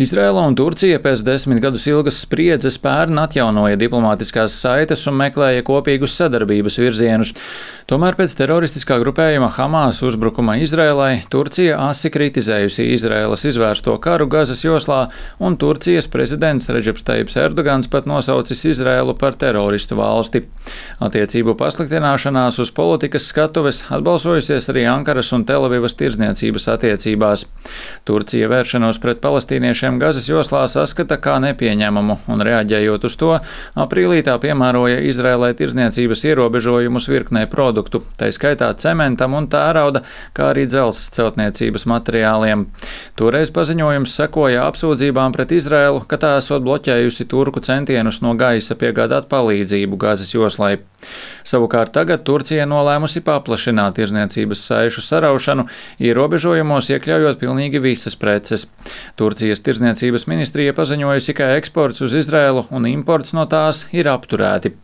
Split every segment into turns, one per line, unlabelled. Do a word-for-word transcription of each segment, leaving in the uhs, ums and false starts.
Izraela un Turcija pēc desmit gadus ilgas spriedzes pērn atjaunoja diplomātiskās saites un meklēja kopīgus sadarbības virzienus. Tomēr pēc teroristiskā grupējuma Hamas uzbrukuma Izraēlai Turcija asi kritizējusi Izraēlas izvērsto karu Gazas joslā, un Turcijas prezidents Redžeps Tajibs Erdogans pat nosaucis Izraēlu par teroristu valsti. Attiecību pasliktināšanās uz politikas skatuves atbalsojusies arī Ankaras un Telavivas tirdzniecības attiecībās. Turcija vēršanos pret palestīniešiem Gazas joslā saskata kā nepieņemamu, un reaģējot uz to, aprīlī tā piemēroja Izraēlai tirdzniecības ierobežojumus virknei produktu, tai skaitā cementam un tērauda, kā arī dzelzs celtniecības materiāliem. Toreiz paziņojums sekoja apsūdzībām pret Izraēlu, ka tā esot bloķējusi turku centienus no gaisa piegādāt palīdzību Gazas joslai. Savukārt tagad Turcija nolēmusi paplašināt tirdzniecības saišu saraušanu, ierobežojumos iekļaujot pilnīgi visas preces. Turcijas tirdzniecības ministrija paziņojusi, ka eksports uz Izraēlu un imports no tās ir apturēti.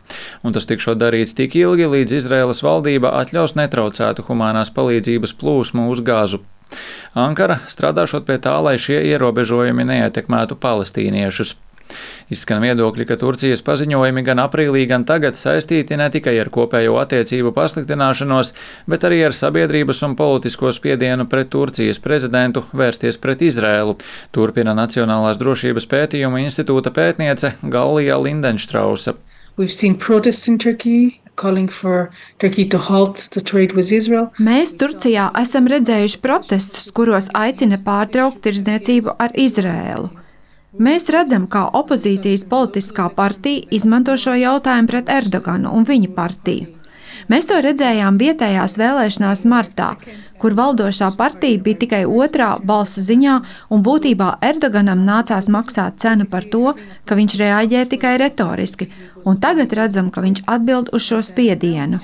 Un tas tikšot darīts tik ilgi, līdz Izraēlas valdība atļaus netraucētu humānās palīdzības plūsmu uz Gazu. Ankara strādāšot pie tā, lai šie ierobežojumi neietekmētu palestīniešus. Izskan viedokļi, ka Turcijas paziņojumi gan aprīlī, gan tagad saistīti ne tikai ar kopējo attiecību pasliktināšanos, bet arī ar sabiedrības un politisko spiedienu pret Turcijas prezidentu vērsties pret Izraēlu, turpina Nacionālās drošības pētījumu institūta pētniece Gallija Lindenstrausa.
Mēs Turcijā esam redzējuši protestus, kuros aicina pārtraukt tirdzniecību ar Izraēlu. Mēs redzam, kā opozīcijas politiskā partija izmanto šo jautājumu pret Erdoganu un viņa partiju. Mēs to redzējām vietējās vēlēšanās martā, kur valdošā partija bija tikai otrā balsu ziņā, un būtībā Erdoganam nācās maksāt cenu par to, ka viņš reaģē tikai retoriski, un tagad redzam, ka viņš atbild uz šo spiedienu.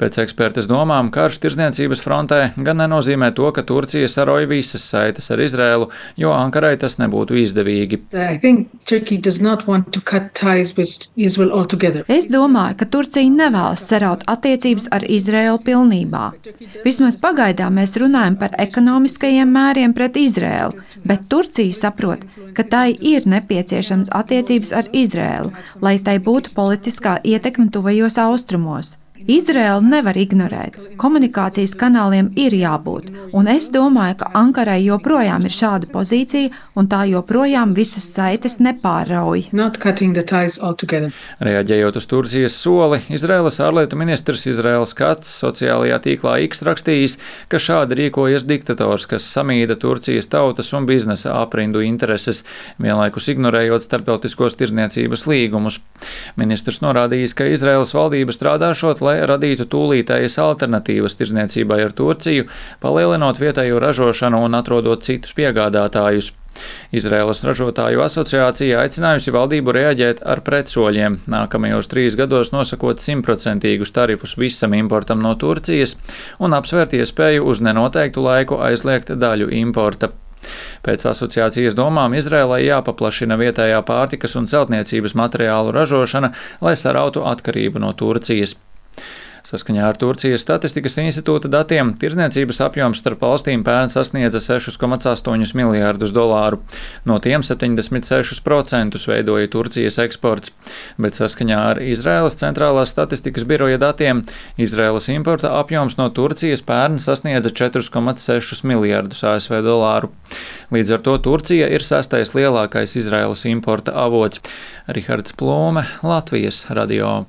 Pēc ekspertes domām, karš tirdzniecības frontē gan nenozīmē to, ka Turcija saroja visas saites ar Izraēlu, jo Ankarai tas nebūtu izdevīgi.
Es domāju, ka Turcija nevēlas saraut attiecības ar Izraēlu pilnībā. Vismaz pagaidām mēs runājam par ekonomiskajiem mēriem pret Izraēlu, bet Turcija saprot, ka tai ir nepieciešams attiecības ar Izraēlu, lai tai būtu politiskā ietekme tuvajos austrumos. Izraēlu nevar ignorēt. Komunikācijas kanāliem ir jābūt, un es domāju, ka Ankarai joprojām ir šāda pozīcija, un tā joprojām visas saites nepārrauj.
Reaģējot uz Turcijas soli, Izraēlas ārlietu ministrs Izraēls Kats sociālajā tīklā X rakstījis, ka šādi rīkojas diktators, kas samīda Turcijas tautas un biznesa aprindu intereses, vienlaikus ignorējot starptautiskos tirdzniecības līgumus. Ministrs norādījis, ka Izraēlas valdība strādāšot, lai radītu tūlītējas alternatīvas tirdzniecībai ar Turciju, palielinot vietējo ražošanu un atrodot citus piegādātājus. Izraēlas ražotāju asociācija aicinājusi valdību reaģēt ar pretsoļiem, nākamajos trīs gados nosakot simtprocentīgus tarifus visam importam no Turcijas un apsvērt iespēju uz nenoteiktu laiku aizliegt daļu importa. Pēc asociācijas domām Izraēlai jāpaplašina vietējā pārtikas un celtniecības materiālu ražošana, lai sarautu atkarību no Turcijas. Saskaņā ar Turcijas statistikas institūta datiem tirdzniecības apjoms starp valstīm pērn sasniedza sešus komats astoņus miljārdus dolāru. No tiem septiņdesmit sešus procentus veidoja Turcijas eksports, bet saskaņā ar Izraēlas centrālās statistikas biroja datiem Izraēlas importa apjoms no Turcijas pērn sasniedza četrus komats sešus miljārdus A S V dolāru. Līdz ar to Turcija ir sestais lielākais Izraēlas importa avots. Rihards Plūme, Latvijas radio.